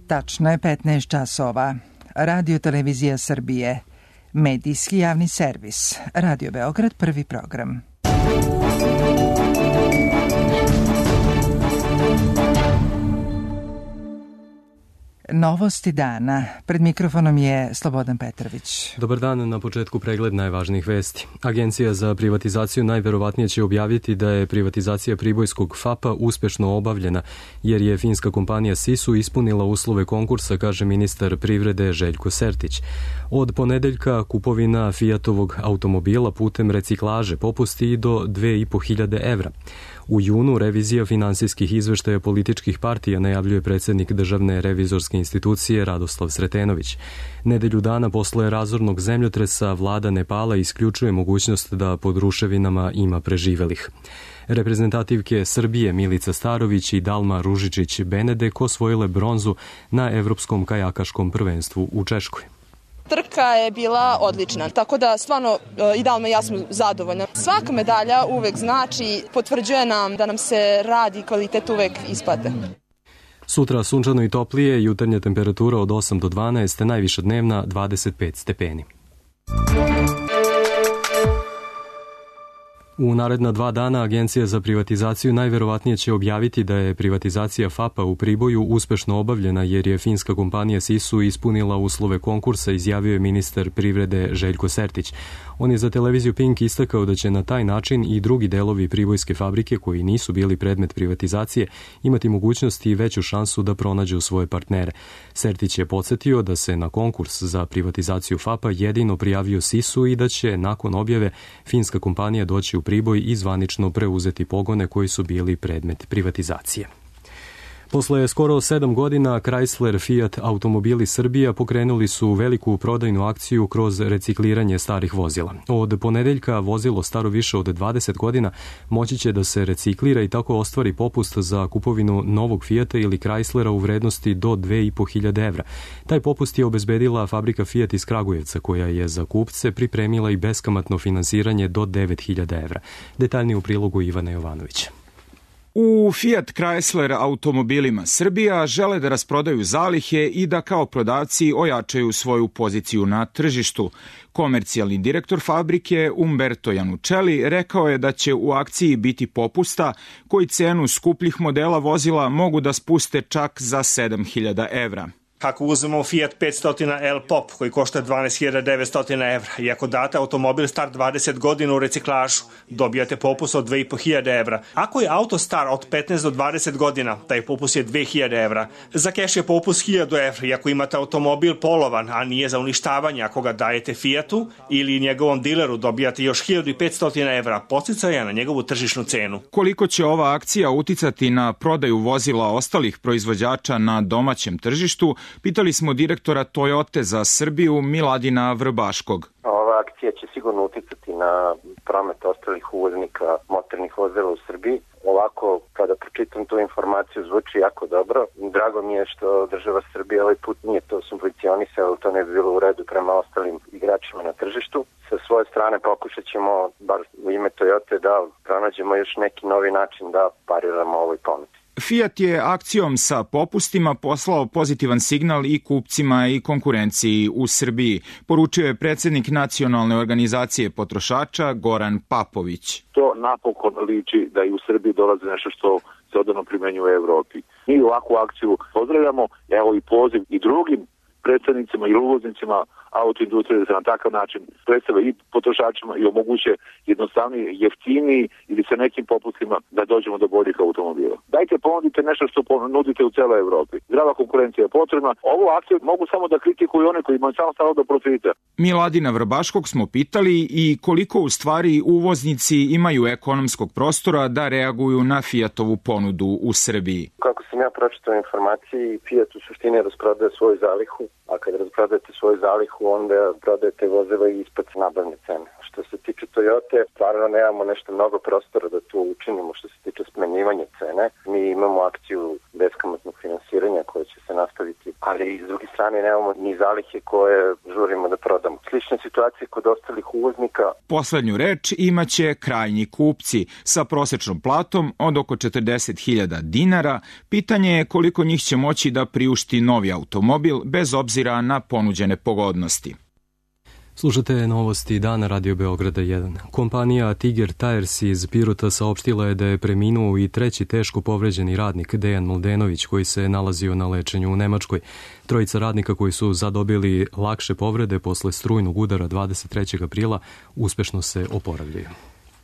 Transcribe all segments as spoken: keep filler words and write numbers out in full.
Tačno je petnaest časova. Radio Televizija Srbije. Medijski javni servis. Radio Beograd, prvi program. Novosti dana. Pred mikrofonom je Slobodan Petrović. Dobar dan, na početku pregled najvažnijih vesti. Agencija za privatizaciju najverovatnije će objaviti da je privatizacija pribojskog F A P-a uspešno obavljena, jer je finska kompanija Sisu ispunila uslove konkursa, kaže ministar privrede Željko Sertić. Od ponedeljka kupovina Fiatovog automobila putem reciklaže popusti i do dve i po hiljade evra. U junu revizija finansijskih izveštaja političkih partija, najavljuje predsjednik Državne revizorske institucije Radoslav Sretenović. Nedelju dana posle razornog zemljotresa vlada Nepala isključuje mogućnost da pod ruševinama ima preživelih. Reprezentativke Srbije Milica Starović i Dalma Ružičić-Benedek osvojile bronzu na Evropskom kajakaškom prvenstvu u Češkoj. Trka je bila odlična, tako da stvarno i Dalma i ja smo zadovoljni. Svaka medalja uvek znači, potvrđuje nam da nam se rad i kvalitet uvek isplate. Sutra sunčano i toplije, jutarnja temperatura od osam do dvanaest, najviša dnevna dvadeset pet stepeni. U naredna dva dana Agencija za privatizaciju najverovatnije će objaviti da je privatizacija F A P-a u Priboju uspešno obavljena, jer je finska kompanija Sisu ispunila uslove konkursa, izjavio je ministar privrede Željko Sertić. On je za televiziju Pink istakao da će na taj način i drugi delovi pribojske fabrike koji nisu bili predmet privatizacije imati mogućnost i veću šansu da pronađu svoje partnere. Sertić je podsjetio da se na konkurs za privatizaciju F A P-a jedino prijavio Sisu i da će nakon objave finska kompanija doći u Priboj i zvanično preuzeti pogone koji su bili predmet privatizacije. Posle skoro sedam godina Chrysler Fiat Automobili Srbija pokrenuli su veliku prodajnu akciju kroz recikliranje starih vozila. Od ponedeljka vozilo staro više od dvadeset godina moći će da se reciklira i tako ostvari popust za kupovinu novog Fiata ili Chryslera u vrednosti do dve i po hiljade evra. Taj popust je obezbedila fabrika Fiat iz Kragujevca, koja je za kupce pripremila i beskamatno finansiranje do devet hiljada evra. Detaljnije u prilogu Ivana Jovanovića. U Fiat Chrysler Automobilima Srbija žele da rasprodaju zalihe i da kao prodavci ojačaju svoju poziciju na tržištu. Komercijalni direktor fabrike Umberto Janučeli rekao je da će u akciji biti popusta koji cenu skupljih modela vozila mogu da spuste čak za sedam hiljada evra. Ako uzmemo Fiat petsto L Pop koji košta dvanaest hiljada devetsto evra i ako date automobil star dvadeset godina u reciklažu, dobijate popust od dve i po hiljade evra. Ako je auto star od petnaest do dvadeset godina, taj popust je dve hiljade evra. Za keš je popust hiljadu evra i ako imate automobil polovan, a nije za uništavanje, ako ga dajete Fiatu ili njegovom dileru, dobijate još hiljadu petsto evra podsticaja na njegovu tržišnu cenu. Koliko će ova akcija uticati na prodaju vozila ostalih proizvođača na domaćem tržištu, pitali smo direktora Toyote za Srbiju Miladina Vrbaškog. Ova akcija će sigurno uticati na promet ostalih uvoznika motornih vozila u Srbiji. Ovako, kada pročitam tu informaciju, zvuči jako dobro. Drago mi je što država Srbije ovaj put nije to subvencionisala, to ne bi bilo u redu prema ostalim igračima na tržištu. Sa svoje strane pokušat ćemo, bar u ime Toyote, da pronađemo još neki novi način da pariramo ovoj ponudi. Fiat je akcijom sa popustima poslao pozitivan signal i kupcima i konkurenciji u Srbiji, poručio je predsjednik Nacionalne organizacije potrošača Goran Papović. To napokon liči da i u Srbiji dolazi nešto što se odavno primenjuje u Evropi. Mi ovakvu akciju pozdravljamo, evo i poziv i drugim predstavnicima i uvoznicima autoindustrije da se na takav način predstave i potrošačima i omoguće jednostavniji, jeftiniji ili sa nekim popustima da dođemo do boljih automobila. Dajte ponudite nešto što nudite u celoj Evropi. Zdrava konkurencija je potrebna. Ovu akciju mogu samo da kritikuju one koji imaju samo stalo do profita. Miladina Vrbaškog smo pitali i koliko u stvari uvoznici imaju ekonomskog prostora da reaguju na Fiatovu ponudu u Srbiji. Kako sam ja pročitao informacije, Fiat u suštini rasprodaje svoju zalihu, a kad rasprodajete svoju zalihu, onda prodajete vozila i ispod nabavne cene. Što se tiče Toyote, stvarno nemamo nešto mnogo prostora da tu učinimo što se tiče smanjivanja cene. Mi imamo akciju beskamatnog finansiranja koje će se nastaviti, ali s druge strane nemamo ni zalihe koje žurimo da prodamo. Slična situacija kod ostalih uvoznika. Poslednju reč imaće krajnji kupci sa prosečnom platom od oko četrdeset hiljada dinara. Pitanje je koliko njih će moći da priušti novi automobil bez obzira na ponuđene pogodnosti. Slušate novosti dana Radio Beograda jedan. Kompanija Tiger Tires iz Pirota saopštila je da je preminuo i treći teško povređeni radnik Dejan Mladenović koji se nalazio na lečenju u Nemačkoj. Trojica radnika koji su zadobili lakše povrede posle strujnog udara dvadeset trećeg aprila uspešno se oporavljaju.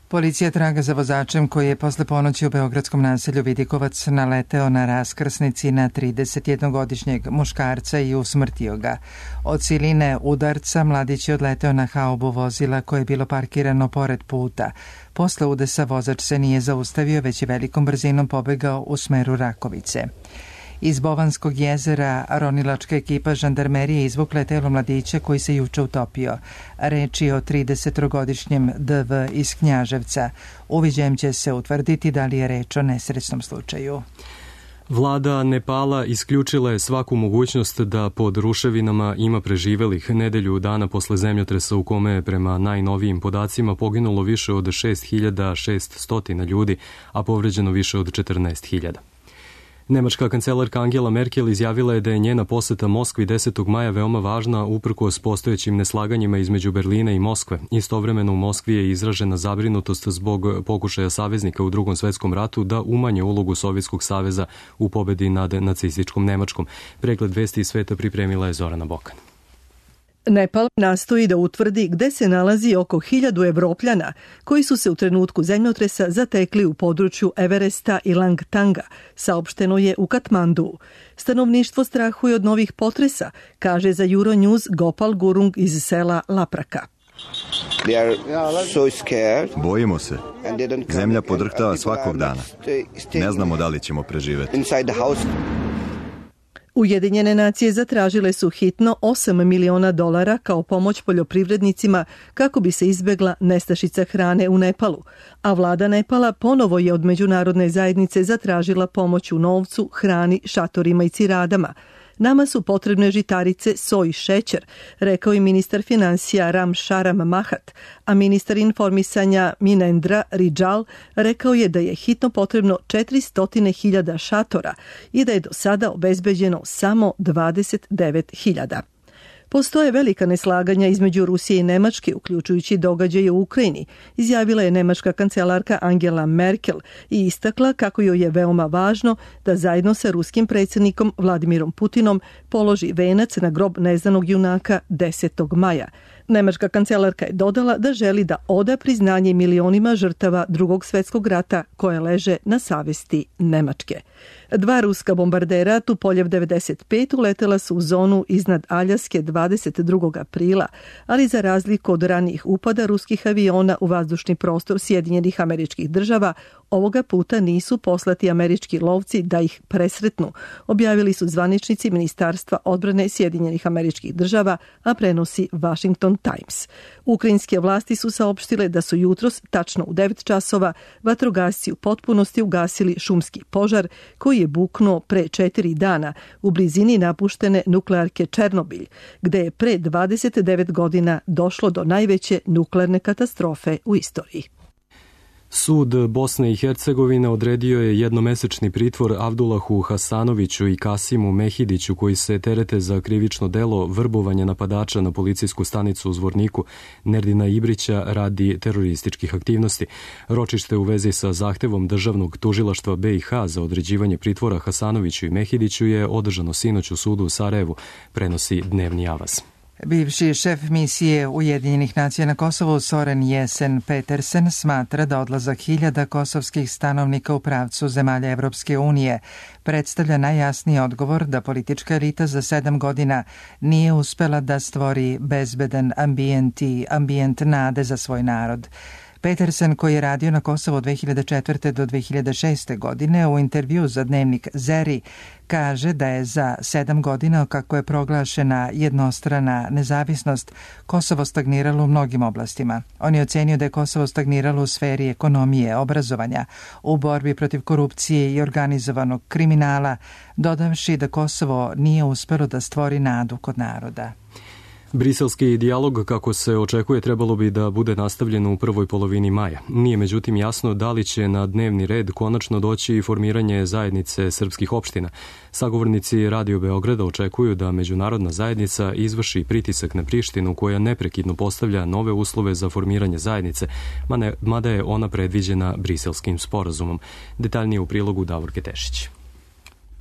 Policija traga za vozačem koji je posle ponoći u beogradskom naselju Vidikovac naleteo na raskrsnici na tridesetjednogodišnjeg muškarca i usmrtio ga. Od siline udarca mladić je odleteo na haubu vozila koje je bilo parkirano pored puta. Posle udesa vozač se nije zaustavio, već je velikom brzinom pobegao u smeru Rakovice. Iz Bovanskog jezera ronilačka ekipa žandarmerije izvukla je telo mladića koji se juče utopio. Reč je o tridesetogodišnjem D V iz Knjaževca. Uviđajem će se utvrditi da li je reč o nesrećnom slučaju. Vlada Nepala isključila je svaku mogućnost da pod ruševinama ima preživelih. Nedelju dana posle zemljotresa u kome je prema najnovijim podacima poginulo više od šest hiljada šessto ljudi, a povređeno više od četrnaest hiljada. Nemačka kancelarka Angela Merkel izjavila je da je njena poseta Moskvi desetog maja veoma važna uprkos postojećim neslaganjima između Berlina i Moskve. Istovremeno u Moskvi je izražena zabrinutost zbog pokušaja saveznika u Drugom svetskom ratu da umanje ulogu Sovjetskog saveza u pobedi nad nacističkom Nemačkom. Pregled vesti iz sveta pripremila je Zorana Bokan. Nepal nastoji da utvrdi gde se nalazi oko hiljadu Evropljana koji su se u trenutku zemljotresa zatekli u području Everesta i Langtanga, saopšteno je u Katmandu. Stanovništvo strahuje od novih potresa, kaže za Euronews Gopal Gurung iz sela Lapraka. Bojimo se. Zemlja podrhtava svakog dana. Ne znamo da li ćemo preživeti. Ujedinjene nacije zatražile su hitno osam miliona dolara kao pomoć poljoprivrednicima kako bi se izbegla nestašica hrane u Nepalu, a vlada Nepala ponovo je od međunarodne zajednice zatražila pomoć u novcu, hrani, šatorima i ciradama. Nama su potrebne žitarice, soj i šećer, rekao je ministar finansija Ram Šaram Mahat, a ministar informisanja Minendra Rijal rekao je da je hitno potrebno četiristo hiljada šatora i da je do sada obezbeđeno samo dvadeset devet hiljada. Postoje velika neslaganja između Rusije i Nemačke, uključujući događaje u Ukrajini, izjavila je nemačka kancelarka Angela Merkel i istakla kako joj je veoma važno da zajedno sa ruskim predsjednikom Vladimirom Putinom položi venac na grob neznanog junaka desetog maja. Nemačka kancelarka je dodala da želi da oda priznanje milionima žrtava Drugog svjetskog rata koje leže na savesti Nemačke. Dva ruska bombardera Tupoljev devedeset pet uletela su u zonu iznad Aljaske dvadeset drugog aprila, ali za razliku od ranijih upada ruskih aviona u vazdušni prostor Sjedinjenih Američkih Država, ovoga puta nisu poslati američki lovci da ih presretnu, objavili su zvaničnici Ministarstva odbrane Sjedinjenih Američkih Država, a prenosi Washington Times. Ukrajinske vlasti su saopštile da su jutros, tačno u devet časova, vatrogasci u potpunosti ugasili šumski požar koji je buknuo pre četiri dana u blizini napuštene nuklearke Černobilj, gde je pre dvadeset devet godina došlo do najveće nuklearne katastrofe u istoriji. Sud Bosne i Hercegovine odredio je jednomesečni pritvor Avdulahu Hasanoviću i Kasimu Mehidiću koji se terete za krivično delo vrbovanja napadača na policijsku stanicu u Zvorniku Nerdina Ibrića radi terorističkih aktivnosti. Ročište u vezi sa zahtevom državnog tužilaštva B i H za određivanje pritvora Hasanoviću i Mehidiću je održano sinoć u sudu u Sarajevu, prenosi Dnevni Avaz. Bivši šef misije Ujedinjenih nacija na Kosovu Soren Jesen Petersen smatra da odlazak hiljada kosovskih stanovnika u pravcu zemalja Evropske unije predstavlja najjasniji odgovor da politička elita za sedam godina nije uspela da stvori bezbedan ambijent i ambijent nade za svoj narod. Petersen, koji je radio na Kosovo od dve hiljade četvrte do dve hiljade šeste godine, u intervju za dnevnik Zeri kaže da je za sedam godina kako je proglašena jednostrana nezavisnost Kosovo stagniralo u mnogim oblastima. On je ocenio da je Kosovo stagniralo u sferi ekonomije, obrazovanja, u borbi protiv korupcije i organizovanog kriminala, dodavši da Kosovo nije uspelo da stvori nadu kod naroda. Briselski dijalog, kako se očekuje, trebalo bi da bude nastavljen u prvoj polovini maja. Nije međutim jasno da li će na dnevni red konačno doći i formiranje zajednice srpskih opština. Sagovornici Radio Beograda očekuju da međunarodna zajednica izvrši pritisak na Prištinu, koja neprekidno postavlja nove uslove za formiranje zajednice, mada je ona predviđena Briselskim sporazumom. Detaljnije u prilogu Davorke Tešić.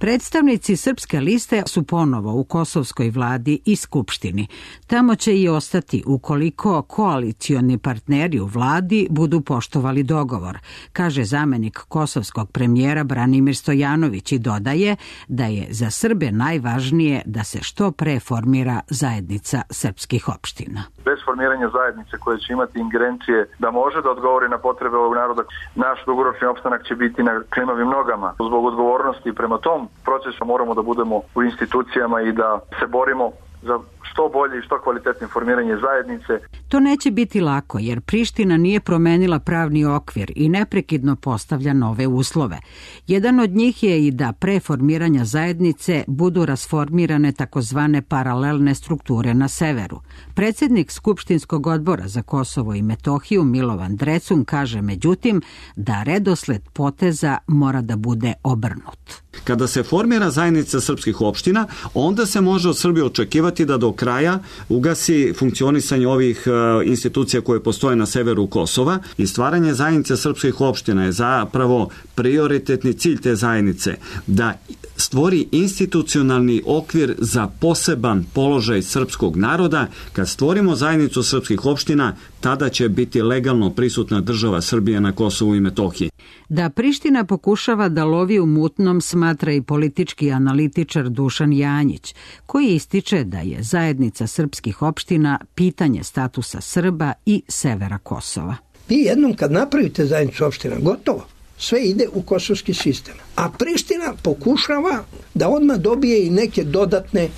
Predstavnici Srpske liste su ponovo u kosovskoj vladi i skupštini. Tamo će i ostati ukoliko koalicioni partneri u vladi budu poštovali dogovor, kaže zamenik kosovskog premijera Branimir Stojanović i dodaje da je za Srbe najvažnije da se što pre formira zajednica srpskih opština. Bez formiranja zajednice koje će imati ingerencije da može da odgovori na potrebe ovog naroda, naš dugoročni opstanak će biti na klimavim nogama. Zbog odgovornosti prema tom procesu moramo da budemo u institucijama i da se borimo za što bolje i što kvalitetnije formiranje zajednice. To neće biti lako jer Priština nije promenila pravni okvir i neprekidno postavlja nove uslove. Jedan od njih je i da pre formiranja zajednice budu rasformirane takozvane paralelne strukture na severu. Predsjednik Skupštinskog odbora za Kosovo i Metohiju Milovan Drecun kaže međutim da redosled poteza mora da bude obrnut. Kada se formira zajednica srpskih opština, onda se može od Srbije očekivati da do kraja ugasi funkcionisanje ovih institucija koje postoje na severu Kosova i stvaranje zajednice srpskih opština je zapravo prioritetni cilj te zajednice, da stvori institucionalni okvir za poseban položaj srpskog naroda. Kad stvorimo zajednicu srpskih opština, tada će biti legalno prisutna država Srbije na Kosovu i Metohiji. Da Priština pokušava da lovi u mutnom smatra i politički analitičar Dušan Janjić, koji ističe da je zajednica srpskih opština pitanje statusa Srba i severa Kosova. Vi jednom kad napravite zajednicu opština, gotovo. Sve ide u kosovski sistem. A Priština pokušava da odmah dobije i neke dodatne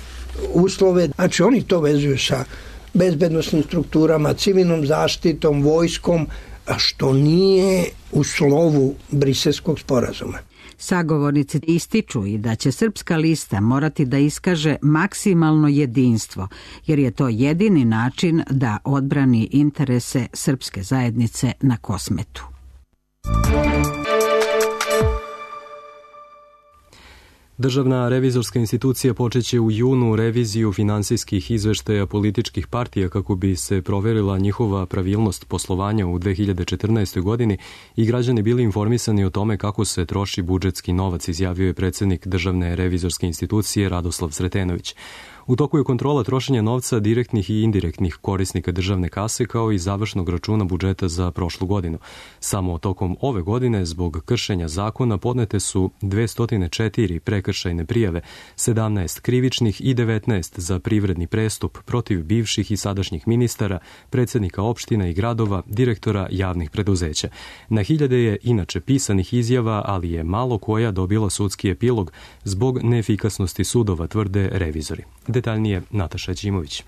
uslove. Znači oni to vezuju sa bezbednosnim strukturama, civilnom zaštitom, vojskom, a što nije u slovu Briselskog sporazuma. Sagovornici ističu i da će Srpska lista morati da iskaže maksimalno jedinstvo, jer je to jedini način da odbrani interese srpske zajednice na Kosmetu. Državna revizorska institucija počeće u junu reviziju finansijskih izveštaja političkih partija kako bi se proverila njihova pravilnost poslovanja u dve hiljade četrnaestoj. godini i građani bili informisani o tome kako se troši budžetski novac, izjavio je predsjednik Državne revizorske institucije Radoslav Sretenović. U toku je kontrola trošenja novca direktnih i indirektnih korisnika državne kase kao i završnog računa budžeta za prošlu godinu. Samo tokom ove godine zbog kršenja zakona podnete su dvesta četiri prekršajne prijave, sedamnaest krivičnih i devetnaest za privredni prestup protiv bivših i sadašnjih ministara, predsjednika opština i gradova, direktora javnih preduzeća. Na hiljade je inače pisanih izjava, ali je malo koja dobila sudski epilog zbog neefikasnosti sudova, tvrde revizori. Detaljnije Nataša Đimović.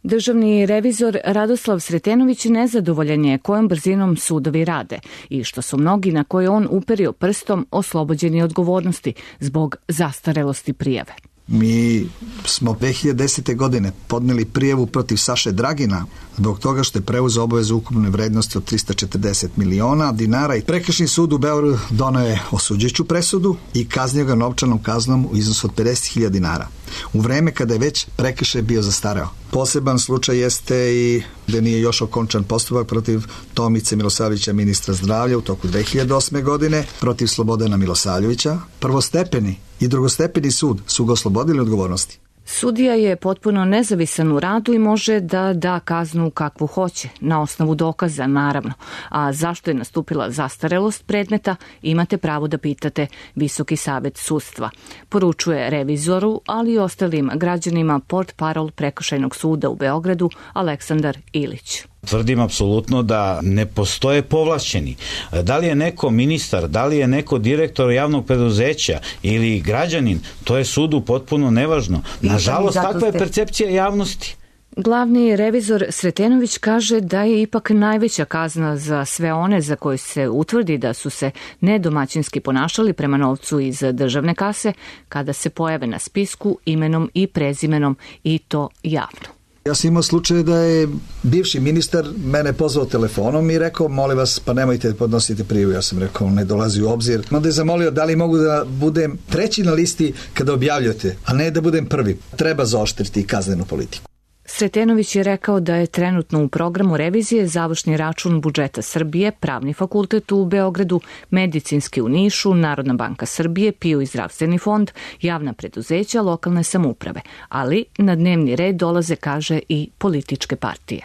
Državni revizor Radoslav Sretenović nezadovoljan je kojom brzinom sudovi rade i što su mnogi na koje on uperio prstom oslobođeni odgovornosti zbog zastarelosti prijave. Mi smo dve hiljade desete. godine podneli prijavu protiv Saše Dragina zbog toga što je preuzeo obavezu ukupne vrednosti od trista četrdeset miliona dinara i Prekršajni sud u Beogradu doneo je osuđujuću presudu i kaznio ga novčanom kaznom u iznosu od pedeset hiljada dinara. U vreme kada je već prekršaj bio zastareo. Poseban slučaj jeste i da nije još okončan postupak protiv Tomice Milosavljevića, ministra zdravlja, u toku dve hiljade osme. godine, protiv Slobodana Milosavljevića. Prvostepeni i drugostepeni sud su ga oslobodili odgovornosti. Sudija je potpuno nezavisan u radu i može da da kaznu kakvu hoće, na osnovu dokaza naravno. A zašto je nastupila zastarelost predmeta, imate pravo da pitate Visoki savet sudstva. Poručuje revizoru, ali i ostalim građanima portparol Prekršajnog suda u Beogradu Aleksandar Ilić. Tvrdim apsolutno da ne postoje povlašćeni. Da li je neko ministar, da li je neko direktor javnog preduzeća ili građanin, to je sudu potpuno nevažno. Nažalost, takva je percepcija javnosti. Glavni revizor Sretenović kaže da je ipak najveća kazna za sve one za koje se utvrdi da su se nedomaćinski ponašali prema novcu iz državne kase kada se pojave na spisku imenom i prezimenom i to javno. Ja sam imao slučaj da je bivši ministar mene pozvao telefonom i rekao, molim vas, pa nemojte podnositi prijavu. Ja sam rekao, ne dolazi u obzir. Onda je zamolio da li mogu da budem treći na listi kada objavljate, a ne da budem prvi. Treba zaoštriti kaznenu politiku. Sretenović je rekao da je trenutno u programu revizije završni račun budžeta Srbije, Pravni fakultet u Beogradu, Medicinski u Nišu, Narodna banka Srbije, P I O i Zdravstveni fond, javna preduzeća, lokalne samouprave, ali na dnevni red dolaze, kaže, i političke partije.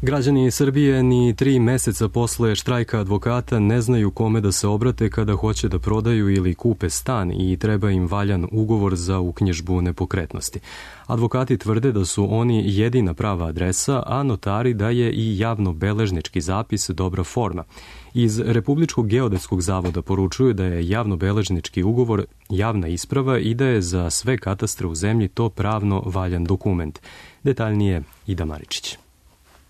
Građani Srbije ni tri meseca posle štrajka advokata ne znaju kome da se obrate kada hoće da prodaju ili kupe stan i treba im valjan ugovor za uknjižbu nepokretnosti. Advokati tvrde da su oni jedina prava adresa, a notari da je i javno-beležnički zapis dobra forma. Iz Republičkog geodetskog zavoda poručuju da je javno-beležnički ugovor javna isprava i da je za sve katastre u zemlji to pravno valjan dokument. Detaljnije Ida Maričić.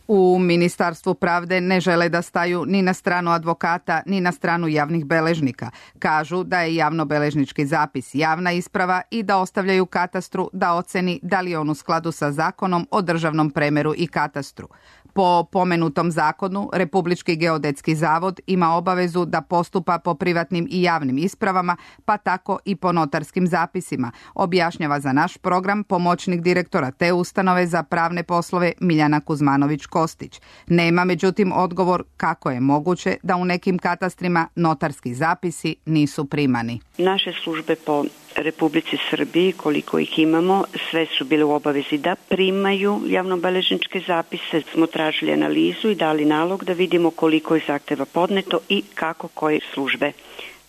U Ministarstvu pravde ne žele da staju ni na stranu advokata, ni na stranu javnih beležnika. Kažu da je javno-beležnički zapis javna isprava i da ostavljaju katastru da oceni da li je on u skladu sa zakonom o državnom premeru i katastru. Po pomenutom zakonu, Republički geodetski zavod ima obavezu da postupa po privatnim i javnim ispravama, pa tako i po notarskim zapisima, objašnjava za naš program pomoćnik direktora te ustanove za pravne poslove Miljana Kuzmanović-Kostić. Nema međutim odgovor kako je moguće da u nekim katastrima notarski zapisi nisu primani. Naše službe po Republici Srbiji, koliko ih imamo, sve su bile u obavezi da primaju javnobeležničke zapise. Smo tražili analizu i dali nalog da vidimo koliko je zahteva podneto i kako koje službe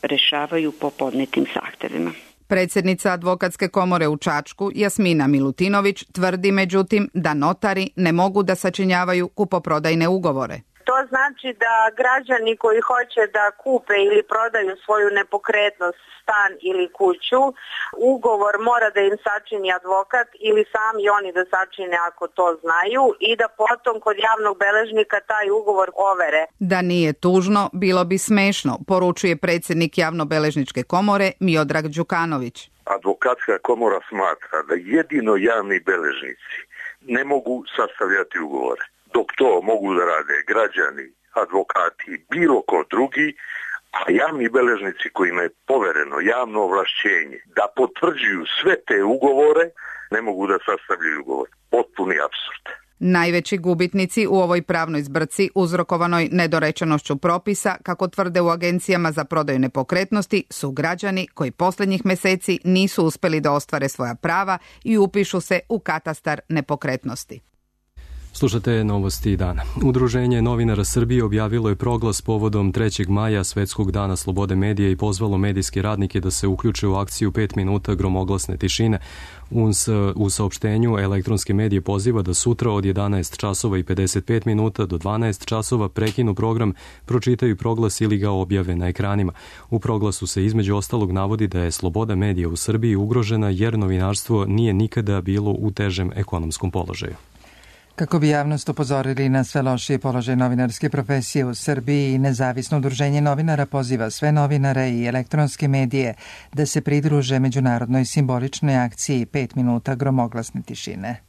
rešavaju po podnetim zahtevima. Predsjednica Advokatske komore u Čačku, Jasmina Milutinović, tvrdi međutim da notari ne mogu da sačinjavaju kupoprodajne ugovore. To znači da građani koji hoće da kupe ili prodaju svoju nepokretnost, stan ili kuću, ugovor mora da im sačini advokat ili sami oni da sačine ako to znaju i da potom kod javnog beležnika taj ugovor overe. Da nije tužno, bilo bi smešno, poručuje predsjednik javnobeležničke komore Miodrag Đukanović. Advokatska komora smatra da jedino javni beležnici ne mogu sastavljati ugovore. Dok to mogu da rade građani, advokati, bilo ko drugi, a javni beležnici kojima je povereno javno ovlašćenje da potvrđuju sve te ugovore, ne mogu da sastavljaju ugovor. Potpuni apsurd. Najveći gubitnici u ovoj pravnoj zbrci uzrokovanoj nedorečenošću propisa, kako tvrde u agencijama za prodaju nepokretnosti, su građani koji posljednjih meseci nisu uspeli da ostvare svoja prava i upišu se u katastar nepokretnosti. Slušate novosti dana. Udruženje novinara Srbije objavilo je proglas povodom trećeg maja, Svetskog dana slobode medija, i pozvalo medijske radnike da se uključe u akciju pet minuta gromoglasne tišine. U saopštenju elektronske medije poziva da sutra od jedanaest časova i pedeset pet minuta do dvanaest časova prekinu program, pročitaju proglas ili ga objave na ekranima. U proglasu se između ostalog navodi da je sloboda medija u Srbiji ugrožena jer novinarstvo nije nikada bilo u težem ekonomskom položaju. Kako bi javnost upozorili na sve lošije položaje novinarske profesije u Srbiji, Nezavisno udruženje novinara poziva sve novinare i elektronske medije da se pridruže međunarodnoj simboličnoj akciji pet minuta gromoglasne tišine.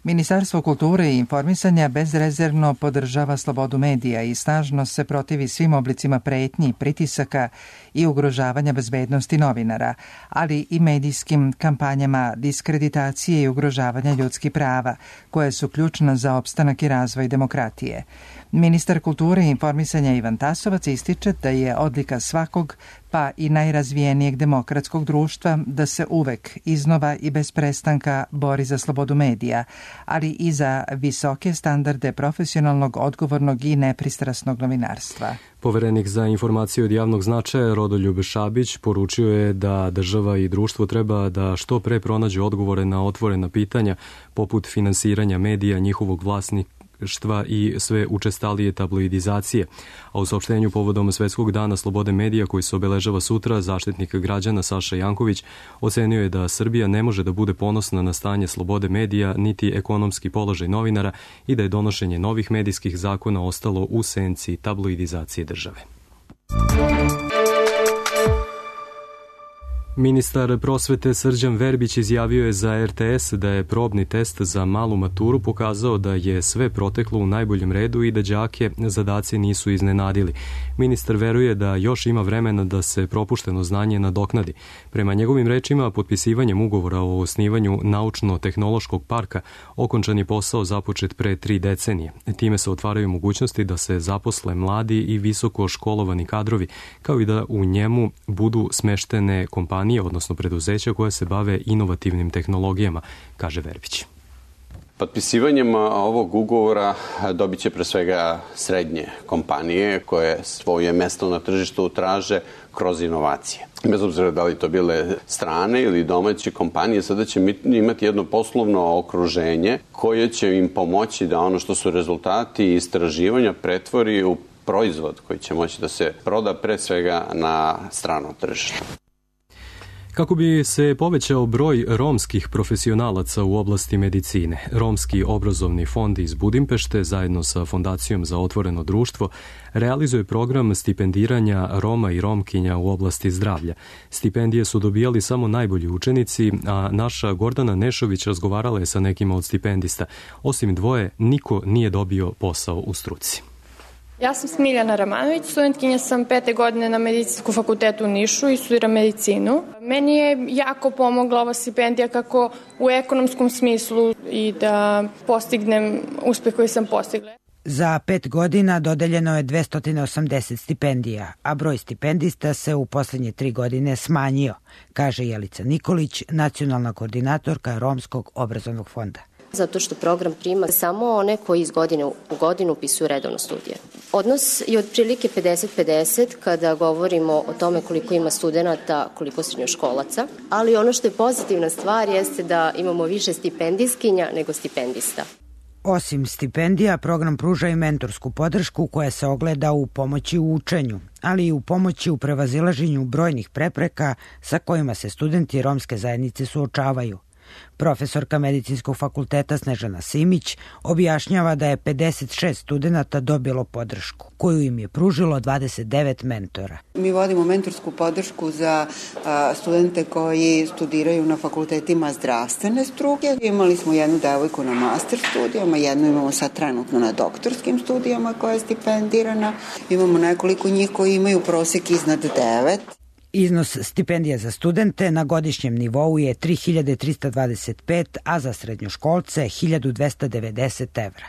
Ministarstvo kulture i informisanja bezrezervno podržava slobodu medija i snažno se protivi svim oblicima pretnji, pritisaka i ugrožavanja bezbednosti novinara, ali i medijskim kampanjama diskreditacije i ugrožavanja ljudskih prava, koje su ključna za opstanak i razvoj demokratije. Ministar kulture i informisanja Ivan Tasovac ističe da je odlika svakog, pa i najrazvijenijeg demokratskog društva, da se uvek, iznova i bez prestanka bori za slobodu medija, ali i za visoke standarde profesionalnog, odgovornog i nepristrasnog novinarstva. Poverenik za informacije od javnog značaja Rodoljub Šabić poručio je da država i društvo treba da što pre pronađu odgovore na otvorena pitanja poput finansiranja medija, njihovog vlasnika, vlasništva i sve učestalije tabloidizacije. A u saopštenju povodom Svetskog dana slobode medija koji se obeležava sutra, zaštitnik građana Saša Janković ocenio je da Srbija ne može da bude ponosna na stanje slobode medija niti ekonomski položaj novinara i da je donošenje novih medijskih zakona ostalo u senci tabloidizacije države. Ministar prosvete Srđan Verbić izjavio je za er te es da je probni test za malu maturu pokazao da je sve proteklo u najboljem redu i da đake zadaci nisu iznenadili. Ministar veruje da još ima vremena da se propušteno znanje nadoknadi. Prema njegovim rečima, potpisivanjem ugovora o osnivanju naučno-tehnološkog parka okončan je posao započet pre tri decenije. Time se otvaraju mogućnosti da se zaposle mladi i visoko školovani kadrovi, kao i da u njemu budu smeštene kompanije, odnosno preduzeća koja se bave inovativnim tehnologijama, kaže Verbić. Potpisivanjem ovog ugovora dobit će pre svega srednje kompanije koje svoje mesto na tržištu traže kroz inovacije. Bez obzira da li to bile strane ili domaće kompanije, sada će imati jedno poslovno okruženje koje će im pomoći da ono što su rezultati istraživanja pretvori u proizvod koji će moći da se proda pre svega na stranom tržištu. Kako bi se povećao broj romskih profesionalaca u oblasti medicine, Romski obrazovni fond iz Budimpešte zajedno sa Fondacijom za otvoreno društvo realizuje program stipendiranja Roma i Romkinja u oblasti zdravlja. Stipendije su dobijali samo najbolji učenici, a naša Gordana Nešović razgovarala je sa nekima od stipendista. Osim dvoje, niko nije dobio posao u struci. Ja sam Smiljana Ramanović, studentkinja sam pete godine na Medicinskom fakultetu u Nišu i studiram medicinu. Meni je jako pomogla ova stipendija kako u ekonomskom smislu i da postignem uspeh koji sam postigla. Za pet godina dodeljeno je dvesta osamdeset stipendija, a broj stipendista se u poslednje tri godine smanjio, kaže Jelica Nikolić, nacionalna koordinatorka Romskog obrazovnog fonda. Zato što program prima samo one koji iz godine u godinu upisuju redovno studije. Odnos je otprilike pedeset pedeset kada govorimo o tome koliko ima studenta, koliko srednjoškolaca, ali ono što je pozitivna stvar jeste da imamo više stipendijskinja nego stipendista. Osim stipendija, program pruža i mentorsku podršku koja se ogleda u pomoći u učenju, ali i u pomoći u prevazilaženju brojnih prepreka sa kojima se studenti romske zajednice suočavaju. Profesorka Medicinskog fakulteta Snežana Simić objašnjava da je pedeset šest studenta dobilo podršku, koju im je pružilo dvadeset devet mentora. Mi vodimo mentorsku podršku za studente koji studiraju na fakultetima zdravstvene struke. Imali smo jednu devojku na master studijama, jednu imamo sad trenutno na doktorskim studijama koja je stipendirana. Imamo nekoliko njih koji imaju prosek iznad devet. Iznos stipendija za studente na godišnjem nivou je tri hiljade trista dvadeset pet, a za srednjoškolce hiljadu dvesta devedeset evra.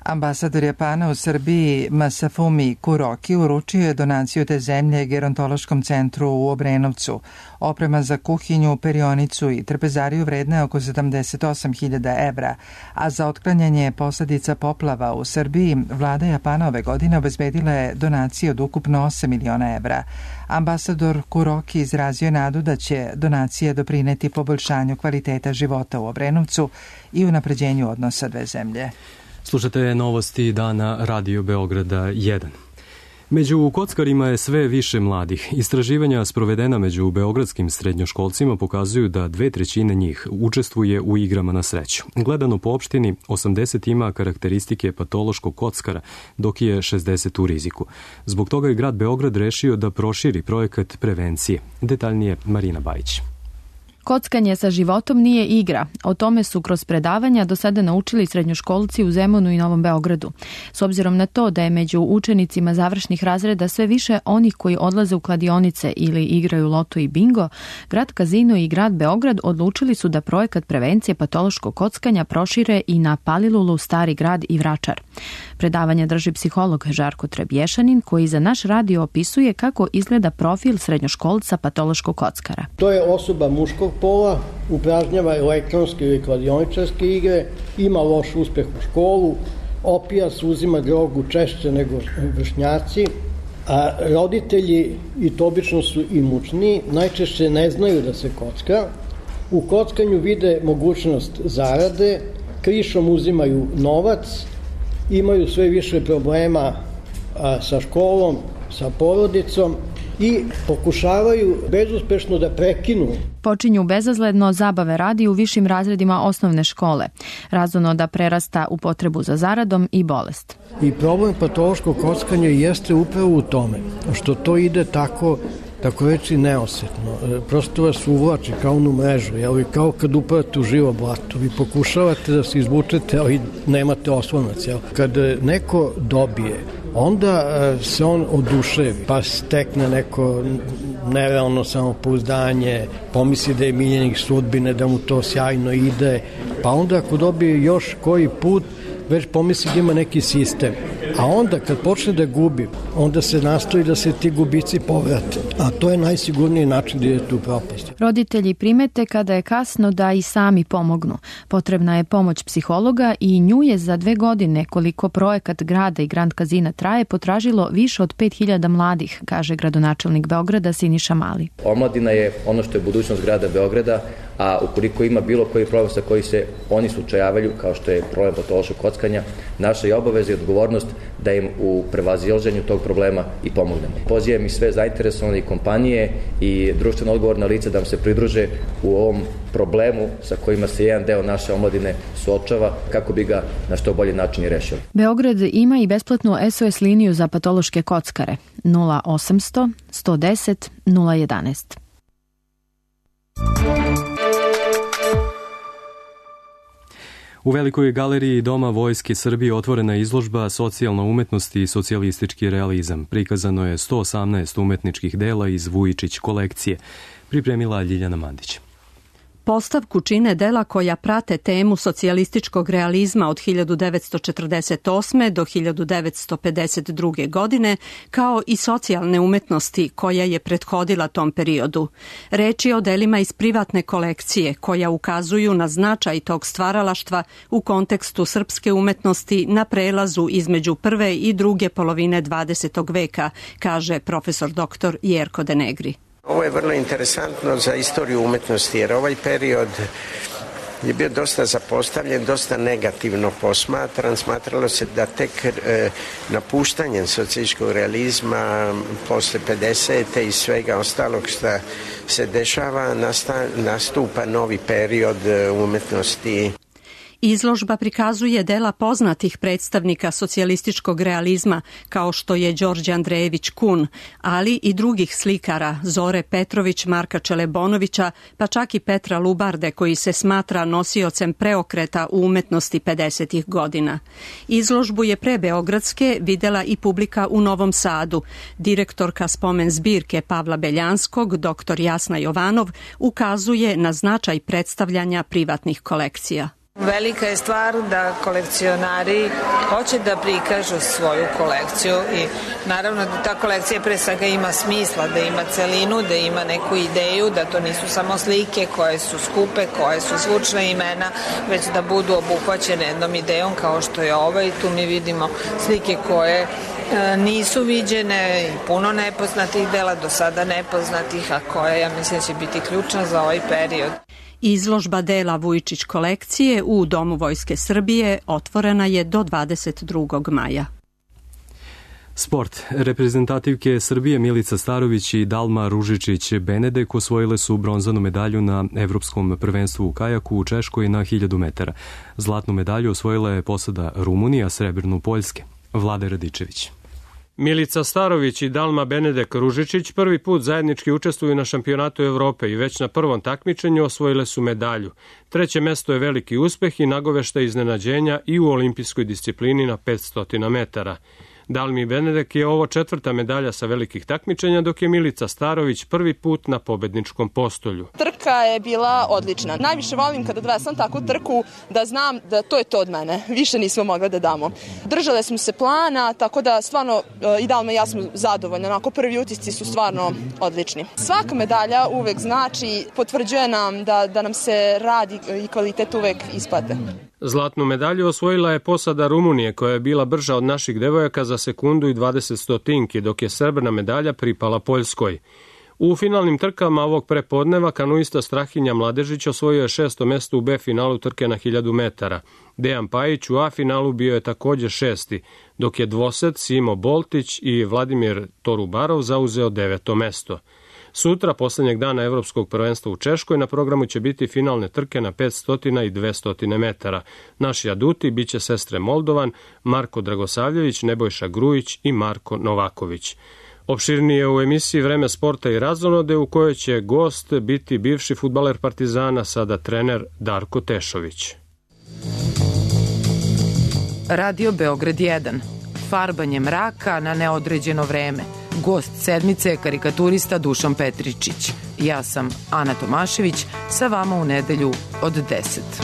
Ambasador Japana u Srbiji Masafumi Kuroki uručio je donaciju te zemlje gerontološkom centru u Obrenovcu. Oprema za kuhinju, perionicu i trpezariju vredna je oko sedamdeset osam hiljada evra, a za otklanjanje posledica poplava u Srbiji vlada Japana ove godine obezbedila je donacije od ukupno osam miliona evra. Ambasador Kuroki izrazio je nadu da će donacije doprineti poboljšanju kvaliteta života u Obrenovcu i unapređenju odnosa dve zemlje. Slušate novosti dana Radio Beograda jedan. Među kockarima je sve više mladih. Istraživanja sprovedena među beogradskim srednjoškolcima pokazuju da dve trećine njih učestvuje u igrama na sreću. Gledano po opštini, osamdeset ima karakteristike patološkog kockara, dok je šezdeset u riziku. Zbog toga je grad Beograd rešio da proširi projekat prevencije. Detaljnije Marina Bajić. Kockanje sa životom nije igra. O tome su kroz predavanja do sada naučili srednjoškolci u Zemunu i Novom Beogradu. S obzirom na to da je među učenicima završnih razreda sve više onih koji odlaze u kladionice ili igraju loto i bingo, grad Kazino i grad Beograd odlučili su da projekat prevencije patološkog kockanja prošire i na Palilulu, Stari grad i Vračar. Predavanje drži psiholog Žarko Trebješanin, koji za naš radio opisuje kako izgleda profil srednjoškolca patološkog kockara. To je osoba muškog pola, upražnjava elektronske ili kladioničarske igre, ima loš uspeh u školu, opija se, uzima drogu češće nego vršnjaci, a roditelji, i to obično su imućni, najčešće ne znaju da se kocka. U kockanju vide mogućnost zarade, krišom uzimaju novac, imaju sve više problema a, sa školom, sa porodicom i pokušavaju bezuspešno da prekinu. Počinju bezazledno zabave radi u višim razredima osnovne škole, razono da prerasta u potrebu za zaradom i bolest. I problem patološkog kockanja jeste upravo u tome što to ide tako, tako reći neosetno. Prosto vas uvlači kao onu mrežu, jel? Kao kad upadate u živo blato. Vi pokušavate da se izvučete, ali nemate oslonac. Jel? Kad neko dobije, onda se on oduševi, pa stekne neko nerealno samopouzdanje, pomisli da je miljenik sudbine, da mu to sjajno ide, pa onda ako dobije još koji put, već pomisli da ima neki sistem. A onda kad počne da gubi, onda se nastoji da se ti gubici povrate. A to je najsigurniji način da idete u propast. Roditelji primete kada je kasno da i sami pomognu. Potrebna je pomoć psihologa i nju je za dve godine, koliko projekat grada i Grand Kazina traje, potražilo više od pet hiljada mladih, kaže gradonačelnik Beograda Siniša Mali. Omladina je ono što je budućnost grada Beograda, a ukoliko ima bilo koji problem sa koji se oni slučajavaju, kao što je problem patološkog kockanja, naša je obaveza i odgovornost da im u prevazilaženju tog problema i pomognemo. Pozivam i sve zainteresovane kompanije i društveno odgovorna lica da nam se pridruže u ovom problemu sa kojima se jedan deo naše omladine suočava, kako bi ga na što bolji način i rešili. Beograd ima i besplatnu S O S liniju za patološke kockare nula osamsto sto deset nula jedanaest. U Velikoj galeriji Doma Vojske Srbije otvorena je izložba Socijalna umetnost i socijalistički realizam. Prikazano je sto osamnaest umetničkih dela iz Vujičić kolekcije. Pripremila Ljiljana Mandić. Postavku čine dela koja prate temu socijalističkog realizma od hiljadu devetsto četrdeset osme do hiljadu devetsto pedeset druge. godine, kao i socijalne umetnosti koja je prethodila tom periodu. Reč je o delima iz privatne kolekcije koja ukazuju na značaj tog stvaralaštva u kontekstu srpske umetnosti na prelazu između prve i druge polovine dvadesetog veka, kaže profesor doktor Jerko Denegri. Ovo je vrlo interesantno za istoriju umetnosti, jer ovaj period je bio dosta zapostavljen, dosta negativno posmatran. Smatralo se da tek e, napuštanjem socijalističkog realizma posle pedesete i svega ostalog što se dešava, nasta, nastupa novi period umetnosti. Izložba prikazuje dela poznatih predstavnika socijalističkog realizma, kao što je Đorđe Andrejević Kun, ali i drugih slikara, Zore Petrović, Marka Čelebonovića, pa čak i Petra Lubarde, koji se smatra nosiocem preokreta u umetnosti pedesetih godina. Izložbu je pre Beogradske videla i publika u Novom Sadu. Direktorka spomen zbirke Pavla Beljanskog, doktor Jasna Jovanov, ukazuje na značaj predstavljanja privatnih kolekcija. Velika je stvar da kolekcionari hoće da prikažu svoju kolekciju i naravno da ta kolekcija pre svega ima smisla, da ima celinu, da ima neku ideju, da to nisu samo slike koje su skupe, koje su zvučna imena, već da budu obuhvaćene jednom idejom kao što je ova i tu mi vidimo slike koje nisu viđene i puno nepoznatih dela, do sada nepoznatih, a koje ja mislim će biti ključna za ovaj period. Izložba dela Vujičić kolekcije u Domu Vojske Srbije otvorena je do dvadeset drugog maja. Sport. Reprezentativke Srbije Milica Starović i Dalma Ružičić-Benedek osvojile su bronzanu medalju na Evropskom prvenstvu u kajaku u Češkoj na hiljadu metara. Zlatnu medalju osvojila je posada Rumunija, srebrnu Poljske. Vlade Radičević. Milica Starović i Dalma Benedek Ružičić prvi put zajednički učestvuju na šampionatu Evrope i već na prvom takmičenju osvojile su medalju. Treće mesto je veliki uspeh i nagovešta iznenađenja i u olimpijskoj disciplini na petsto metara. Dalmi Benedek je ovo četvrta medalja sa velikih takmičenja, dok je Milica Starović prvi put na pobedničkom postolju. Trka je bila odlična. Najviše volim kada odvesam takvu trku da znam da to je to od mene. Više nismo mogli da damo. Držale smo se plana, tako da stvarno i Dalma i ja smo zadovoljni. Onako prvi utisci su stvarno odlični. Svaka medalja uvek znači, potvrđuje nam da, da nam se rad i kvalitet uvek isplate. Zlatnu medalju osvojila je posada Rumunije, koja je bila brža od naših devojaka za sekundu i dvadeset stotinki, dok je srebrna medalja pripala Poljskoj. U finalnim trkama ovog prepodneva kanuista Strahinja Mladežić osvojio je šesto mesto u B finalu trke na hiljadu metara. Dejan Pajić u A finalu bio je također šesti, dok je dvosed Simo Boltić i Vladimir Torubarov zauzeo deveto mesto. Sutra, poslednjeg dana Evropskog prvenstva u Češkoj, na programu će biti finalne trke na petsto i dvesta metara. Naši aduti biće sestre Moldovan, Marko Dragosavljević, Nebojša Grujić i Marko Novaković. Opširnije u emisiji Vreme sporta i razonode, u kojoj će gost biti bivši fudbaler Partizana, sada trener Darko Tešović. Radio Beograd jedan. Farbanje mraka na neodređeno vreme. Gost sedmice je karikaturista Dušan Petričić. Ja sam Ana Tomašević, sa vama u nedelju od deset.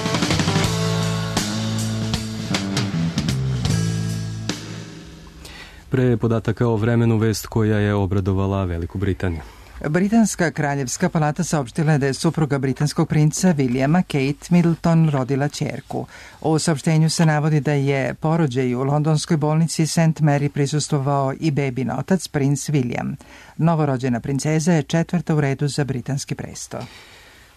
Pre podataka o vremenu, vest koja je obradovala Veliku Britaniju. Britanska kraljevska palata saopštila je da je supruga britanskog princa Williama, Kate Middleton, rodila ćerku. U saopštenju se navodi da je porođaju u londonskoj bolnici Saint Mary prisustvovao i bebin otac, princ William. Novorođena princeza je četvrta u redu za britanski presto.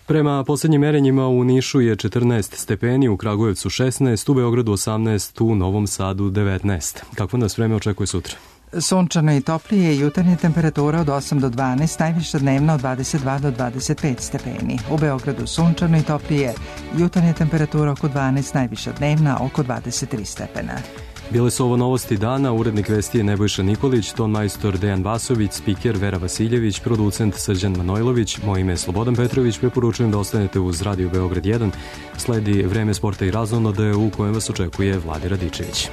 Prema poslednjim merenjima u Nišu je četrnaest stepeni, u Kragujevcu šesnaest, u Beogradu osamnaest, u Novom Sadu devetnaest. Kakvo nas vreme očekuje sutra? Sunčano i toplije, jutarnja temperatura od osam do dvanaest, najviša dnevna od dvadeset dva do dvadeset pet stepeni. U Beogradu sunčano i toplije, jutarnja temperatura oko dvanaest, najviša dnevna oko dvadeset tri stepena. Bile su ovo novosti dana, urednik vesti je Nebojša Nikolić, ton majstor Dejan Vasović, spiker Vera Vasiljević, producent Srđan Manojlović, moje ime je Slobodan Petrović, preporučujem da ostanete uz Radio Beograd jedan. Sledi Vreme sporta i razonode u kojem vas očekuje Vladi Radičević.